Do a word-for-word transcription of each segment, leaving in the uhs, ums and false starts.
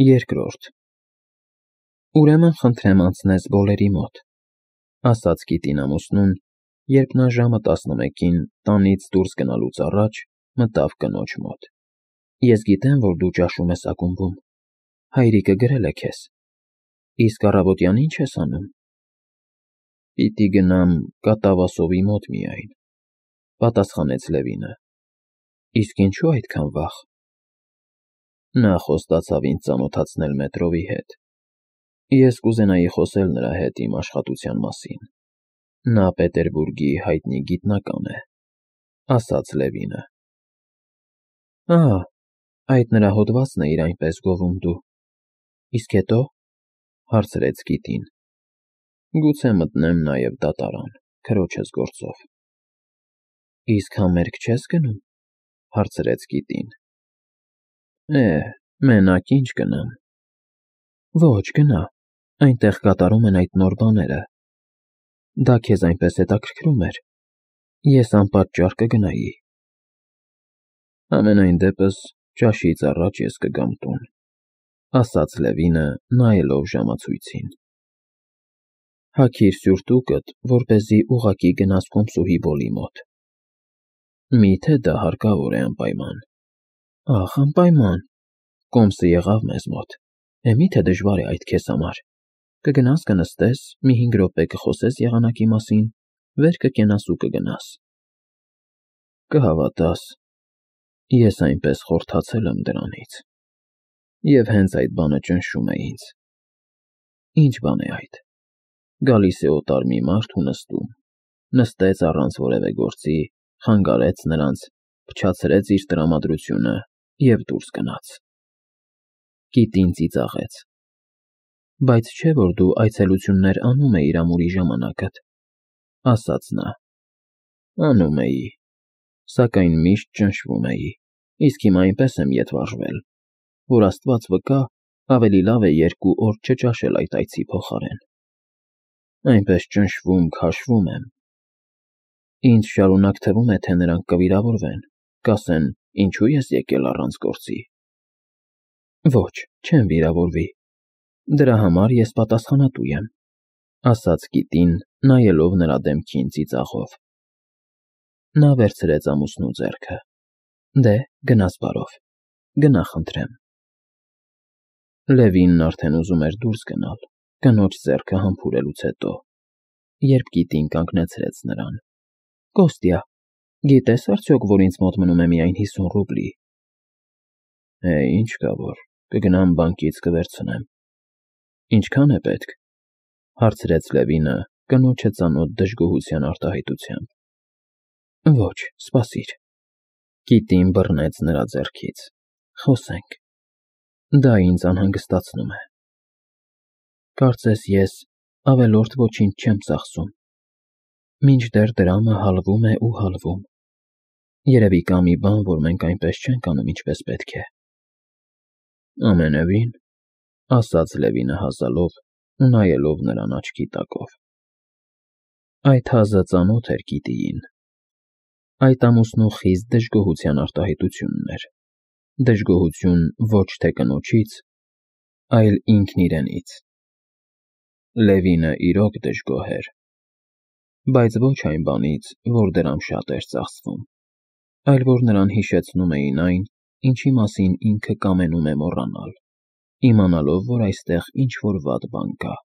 Երկրորդ Ուրեմն խնդրեմ անցնես բոլերի մոտ, ասաց գիտին ամուսնուն, երբ նա ժամը տասնմեկին տանից դուրս գնալուց առաջ մտավ կնոջ մոտ։ Ես գիտեմ, որ դու ճաշում ես ակումբում, հայրիկը գրել է քեզ, իսկ առավոտյան ի՞նչ ես անում։ Պիտի գնամ կատավասովի մոտ միայն, պատասխանեց Լևինը։ Իսկ ինչու այդքան վաղ։ Նա խոստացավ ինձ ծանոթացնել մետրովի հետ։ Ես կուզենայի խոսել նրա հետ իմ աշխատության մասին։ Նա Պետերբուրգի հայտնի գիտնական է, ասաց Լևինը։ Ահա, այդ նրա հոդվածն է իր այնպես գովում դու։ Իսկ հետո, հարցրեց գիտին։ Գուցե մտնեմ նաև դատարան, քրոջս գործով։ Իսկ համերգ չես գնում, հարցրեց գիտին։ Է, մենակ ինչ գնամ։ Ոչ, գնա, այնտեղ կատարում են այդ նոր բաները։ Դա քեզ այնպես հետաքրքրում էր։ Ես անպատճառ կգնայի։ Ամենայն դեպս ճաշից առաջ ես կգամ տուն, ասաց Լևինը, նայելով ժամացույցին։ Հագիր սուրտուկդ, որպեսզի ուղղակի գնաս կոմսուհի Բոլի մոտ։ Միթե դա հարկավոր է անպայման։ Ախ, անպայման, կոմսը եղավ մեզ մոտ, է միթե դժվար է այդ քեզ համար։ Կգնաս կնստես, մի հինգ րոպե կխոսես եղանակի մասին, վեր կկենաս ու կգնաս։ Կհավատաս, ես այնպես խորթացել եմ դրանից։ Եվ հենց այդ բանը ճնշում է ինձ։ Ինչ բան է այդ։ Գալիս է օտար մի մարդ ու նստում, նստեց առանց որևէ գործի, խանգարեց նրանց, փչացրեց իր տրամադրությունը և դուրս գնաց։ Գիտին ծիծաղեց։ Բայց չէ՞ որ դու այցելություններ անում էիր ամուրի ժամանակդ, ասաց նա։ Անում էի, սակայն միշտ ճնշվում էի, իսկ հիմա այնպես եմ ետ վարժվել, որ Աստված վկա, ավելի լավ է երկու օր չճաշել այդ այցի փոխարեն։ Այնպես ճնշվում, քաշվում եմ։ Ինձ շարունակ թվում է, թե նրանք կվիրավորվեն, կասեն, ինչու ես եկել առանց գործի։ Ոչ, չեմ վիրավորվի։ Դրա համար ես պատասխանատու եմ, ասաց գիտին, նայելով նրա դեմքին ծիծաղով։ Նա վերցրեց ամուսնու ձեռքը։ Դե, գնաս բարով, գնա խնդրեմ։ Լևինն արդեն ուզում էր դուրս գնալ, կնոջ ձեռքը համբուրելուց հետո, երբ գիտին կանգնեցրեց նրան։ Կոստյա, գիտես արդյոք, որ ինձ մոտ մնում է միայն հիսուն ռուբլի։ Է, ինչ կա որ, կգնամ բանկից կվերցնեմ։ Ինչքան է պետք, հարցրեց Լևինը, կնոջը ծանոթ դժգոհության արտահայտությամբ։ Ոչ, սպասիր։ Գիտին բռնեց նրա ձեռքից։ Խոսենք։ Դա ինձ անհանգստացնում է։ Կարծես ես ավելորդ ոչինչ չեմ ծախսում։ Մինչդեռ դրամը հալվում է ու հալվում։ Երևի կա մի բան, որ մենք այնպես չենք անում, ինչպես պետք է։ Ամենևին, ասաց Լևինը հազալով ու նայելով նրան աչքի տակով։ Այդ հազը ծանոթ էր գիտիին։ Այդ ամուսնու խիստ դժգոհության արտահայտությունն էր։ Դժգոհություն ոչ թե կնոջից, այլ ինքն իրենից։ Լևինը իրոք դժգոհ էր, բայց ոչ այն բանից, որ դրամ շատ էր ծախսվում, այլ որ նրան հիշեցնում էին այն, ինչի մասին ինքը կամենում է մոռանալ, իմանալով, որ այստեղ ինչ-որ վատ բան կա։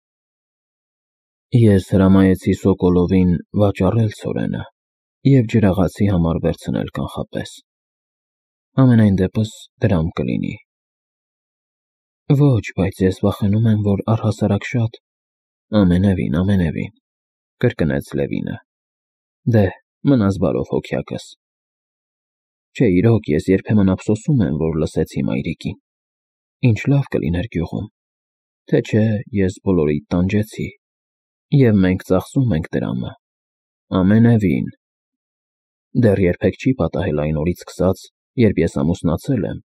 Ես հրամայեցի Սոկոլովին վաճառել ցորենը և ջրաղացի համար վերցնել կանխապես։ Ամենայն դեպս դրամ կլինի։ Ոչ, բայց ես վախենում եմ, որ առհասարակ շատ։ Ամենևին, ամենևին, կրկնեց Լևինը։ Դե, մնաս բարով հոգյակս։ Չէ, իրոք, ես երբեմն ափսոսում եմ, որ լսեցի մայրիկին։ Ինչ լավ կլիներ գյուղում, թե չէ ես բոլորիդ տանջեցի, և մենք ծախսում ենք դրամը։ Ամենևին։ Դեռ երբեք չի պատահել այն օրից սկսած, երբ ես ամուսնացել եմ,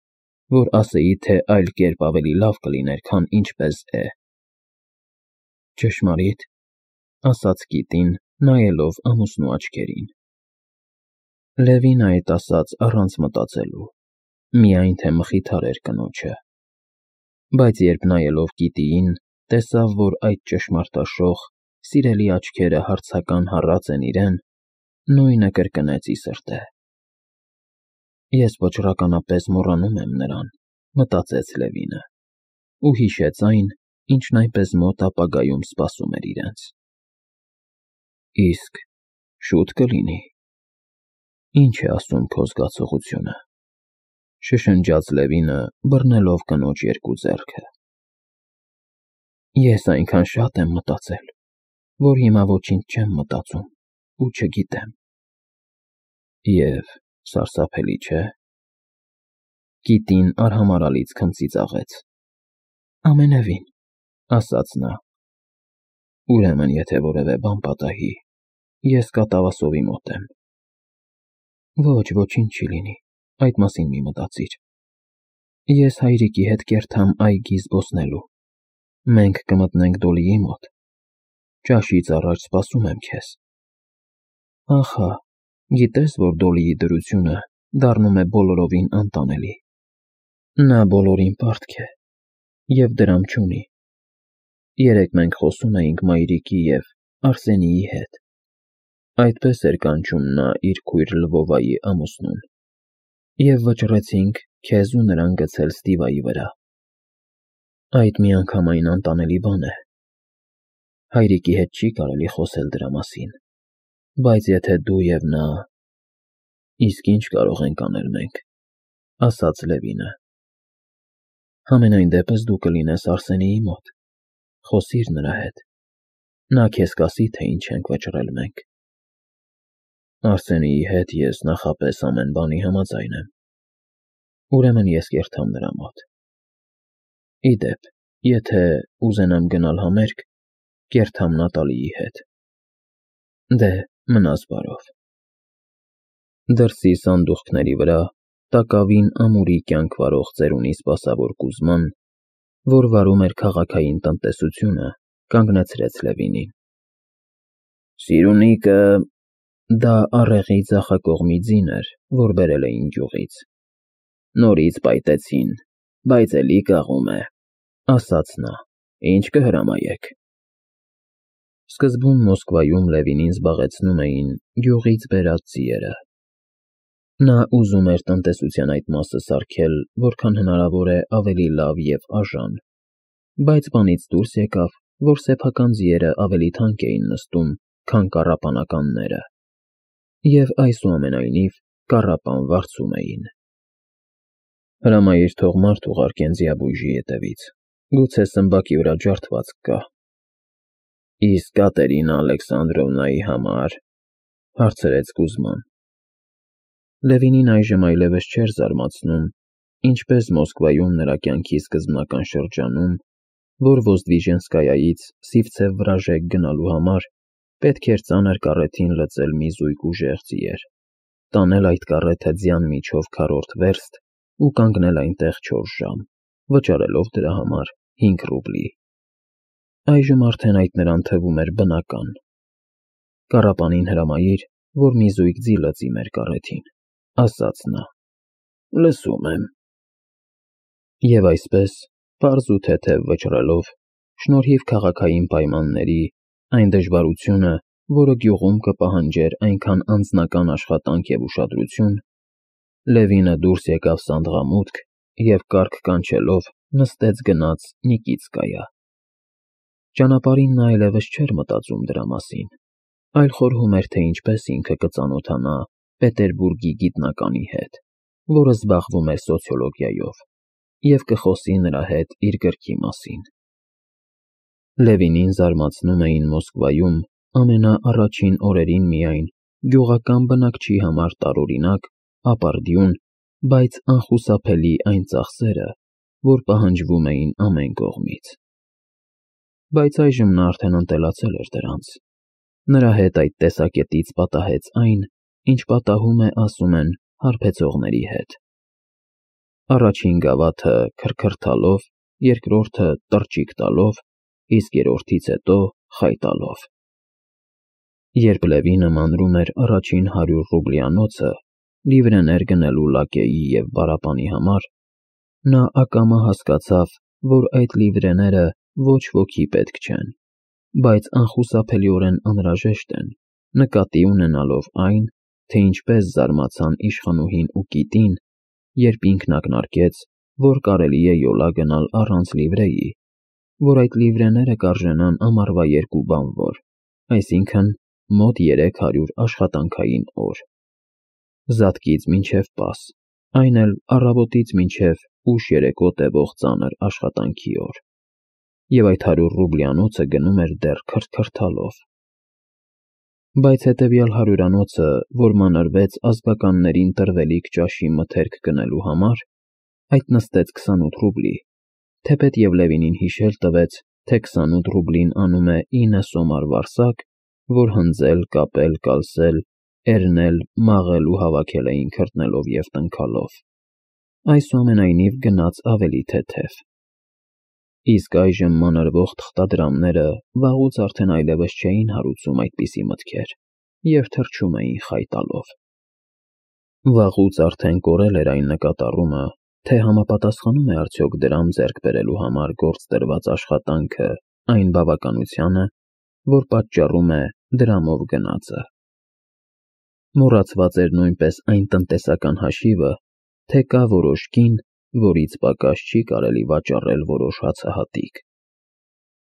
որ ասեի, թե այլ կերպ ավելի լավ կլիներ, քան ինչպես է։ Ճշմարի՞տ, ասաց գիտին, նայելով ամուսնու աչքերին։ Լևինը այդ ասաց առանց մտածելու, միայն թե մխիթարեր կնոջը։ Բայց երբ նայելով Կիտիին, տեսավ, որ այդ ճշմարտաշող, սիրելի աչքերը հարցական հառած են իրեն, նույնը կրկնեց ի սրտե։ «Ես վճռականապես մոռանում եմ նրան», մտածեց Լևինը, ու հիշեց այն, ինչն այնպես մոտ ապագայում սպասում էր իրենց։ Իսկ շուտ կլինի։ Ինչ է ասում քո զգացողությունը, շշնջաց Լևինը, բռնելով կնոջ երկու ձեռքը։ Ես այնքան շատ եմ մտածել, որ հիմա ոչինչ չեմ մտածում ու չգիտեմ։ Եվ սարսափելի չէ։ Կիտին արհամարհալից քմծիծաղեց։ Ամենևին, ասաց նա։ Ուրեմն, եթե որևէ բան պատահի, ես կատավասովի մոտ եմ։ Ոչ, ոչինչ չի լինի, այդ մասին մի մտածիր։ Ես հայրիկի հետ կերթամ այգի զբոսնելու։ Մենք կմտնենք Դոլիի մոտ։ Ճաշից առաջ սպասում եմ քեզ։ Ահա, գիտես, որ Դոլիի դրությունը դառնում է բոլորովին անտանելի։ Նա բոլորին պարտք է և դրամ չունի։ Երեկ մենք խոսում էինք մայրիկի և Արսենիի հետ։ Այդպես էր կանչում նա իր քույր Լվովայի ամուսնուն։ Եվ վճռեցինք քեզ ու նրան գցել Ստիվայի վրա։ Այդ միանգամայն անտանելի բան է։ Հայրիկի հետ չի կարելի խոսել դրա մասին, բայց եթե դու և նա… Իսկ ինչ կարող ենք անել մենք, ասաց Լևինը։ Համենայն դեպս դու կլինես Արսենիի մոտ, խոսիր նրա հետ, նա քեզ կասի, թե ինչ ենք վճռել մենք։ Արսենիի հետ ես նախապես ամեն բանի համաձայն եմ։ Ուրեմն ես կերթամ նրա մոտ։ Ի դեպ, եթե ուզենամ գնալ համերգ, կերթամ Նատալիի հետ։ Դե, մնաս բարով։ Դրսի սանդուղքների վրա, տակավին ամուրի կյանք վարող ծերունի սպասավոր Կուզման, որ վարում էր քաղաքային տնտեսությունը, կանգնեցրեց Լևինին։ Սիրունիկը… Դա առեղի ձախակողմի ձին էր, որ բերել էին գյուղից։ Նորից պայտեցին, բայց էլի կաղում է, ասաց նա, ինչ կհրամայեք։ Սկզբում Մոսկվայում Լևինին զբաղեցնում էին գյուղից բերած ձիերը։ Նա ուզում էր տնտեսության այդ մասը սարքել որքան հնարավոր է ավելի լավ և արժան, բայց բանից դուրս եկավ, որ սեփական ձիերը ավելի թանկ էին նստում, քան կառապանականները, և այսուամենայնիվ կառապան վարձում էին։ Հրամայիր թող մարդ ուղարկեն ձիաբույժի ետևից, գուցե սմբակի վրա ջարդվածք կա։ Իսկ Կատերինա Ալեքսանդրովնայի համար… հարցրեց Կուզման։ Լևինին այժմ այլևս չէր զարմացնում, ինչպես Մոսկվայում նրա կյանքի սկզբնական շրջանում, որ Ոզդվիժենսկայայից Սիվցև Վրաժեկ գնալու համար պետք էր ծանր կառեթին լցել մի զույգ ուժեղ ձիեր, տանել այդ կառեթը ձյան միջով քառորդ վերստ ու կանգնել այնտեղ չորս ժամ, վճարելով դրա համար հինգ ռուբլի։ Այժմ արդեն այդ նրան թվում էր բնական։ Կառապանին հրամայիր, որ մի զույգ ձի լցի մեր կառեթին, ասաց նա։ Լսում եմ։ Եվ այսպես, պարզ ու թեթև վճռելով, շնորհիվ քաղաքային պայմանների, այն դժվարությունը, որը գյուղում կպահանջեր այնքան անձնական աշխատանք և ուշադրություն, Լևինը դուրս եկավ սանդղամուտք և կառք կանչելով նստեց գնաց Նիկիտսկայա։ Ճանապարհին նա այլևս չէր մտածում դրա մասին, այլ խորհում էր, թե ինչպես ինքը կծանոթանա Պետերբուրգի գիտնականի հետ, որը զբաղվում էր սոցիոլոգիայով, և կխոսի նրա հետ իր գրքի մասին։ Լևինին զարմացնում էին Մոսկվայում ամենաառաջին օրերին միայն գյուղական բնակչի համար տարօրինակ, ապարդյուն, բայց անխուսափելի այն ծախսերը, որ պահանջվում էին ամեն կողմից։ Բայց այժմ նա արդեն ընտելացել էր դրանց։ Նրա հետ այդ տեսակետից պատահեց այն, ինչ պատահում է, ասում են, հարբեցողների հետ։ Առաջին գավաթը քրքրթալով, երկրորդը տռճիկ տալով, իսկ երրորդից հետո խայ տալով։ Երբ Լևինը մանրում էր առաջին հարյուր ռուբլյանոցը լիվրեներ գնելու լակեի և բառապանի համար, նա ակամա հասկացավ, որ այդ լիվրեները ոչ ոքի պետք չեն, բայց անխուսափելիորեն անհրաժեշտ են, նկատի ունենալով այն, թե ինչպես զարմացան իշխանուհին ու կիտին, երբ ինքն ակնարկեց, որ կարելի է յոլա գնալ առանց լիվրեի, որ այդ լիվրեները կարժենան ամառվա երկու բանվոր, այսինքն մոտ երեք հարյուր աշխատանքային օր։ Զատկից մինչև պաս, այն էլ առավոտից մինչև ուշ երեկո տևող ծանր աշխատանքի օր, և այդ հարյուր ռուբլյանոցը գնում էր դեռ քրթքրթալով։ Բայց հետևյալ հարյուրանոցը, որ մանրվեց ազգականներին տրվելիք ճաշի մթերք գնելու համար, այդ նստեց քսանութ ռուբլի, թեպետ և Լևինին հիշել տվեց, թե քսանութ ռուբլին անում է ինը սոմար վարսակ, որ հնձել, կապել, կալսել, էրնել, մաղել ու հավաքել էին քրտնելով և տնքալով, այսուամենայնիվ գնաց ավելի թեթև։ Իսկ այժմ մանրվող թղթադրամները վաղուց արդեն այլևս չէին հարուցում այդպիսի մտքեր և թռչում էին խայ տալով։ Վաղուց արդեն կորել էր այն նկատառումը, թե համապատասխանում է արդյոք դրամ ձեռք բերելու համար գործ դրված աշխատանքը այն բավականությանը, որ պատճառում է դրամով գնածը։ Մոռացված էր նույնպես այն տնտեսական հաշիվը, թե կա որոշ կին, որից պակաս չի կարելի վաճառել որոշ հացահատիկ։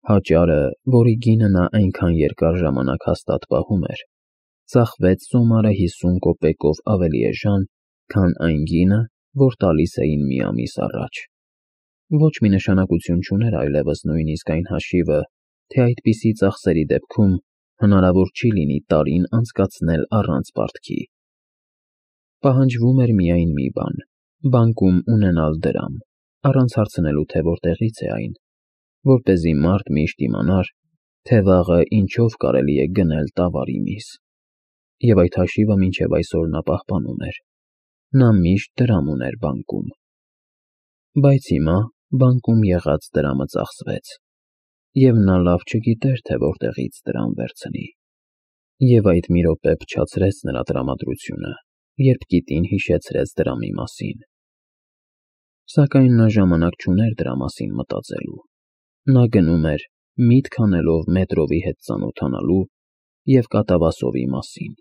Հաճարը, որի գինը նա այնքան երկար ժամանակ հաստատ պահում էր, ծախվեց սոմարը հիսուն կոպեկով ավելի էժան, քան այն գինը, որ տալիս էին մի ամիս առաջ։ Ոչ մի նշանակություն չուներ այլևս նույնիսկ այն հաշիվը, թե այդպիսի ծախսերի դեպքում հնարավոր չի լինի տարին անցկացնել առանց պարտքի։ Պահանջվում էր միայն մի բան՝ բանկում ունենալ դրամ, առանց հարցնելու, թե որտեղից է այն, որպեսզի մարդ միշտ իմանար, թե վաղը ինչով կարելի է գնել տավարի միս։ Եվ այդ հաշիվը մինչև այսօր նա պահպանում էր։ Նա միշտ դրամ ուներ բանկում։ Բայց հիմա բանկում եղած դրամը ծախսվեց, և նա լավ չգիտեր, թե որտեղից դրամ վերցնի։ Եվ այդ մի րոպե փչացրեց նրա տրամադրությունը, երբ կիտին հիշեցրեց դրամի մասին։ Սակայն նա ժամանակ չուներ դրա մասին մտածելու։ Նա գնում էր, միտք անելով Մետրովի հետ ծանոթանալու և կատավասովի մասին։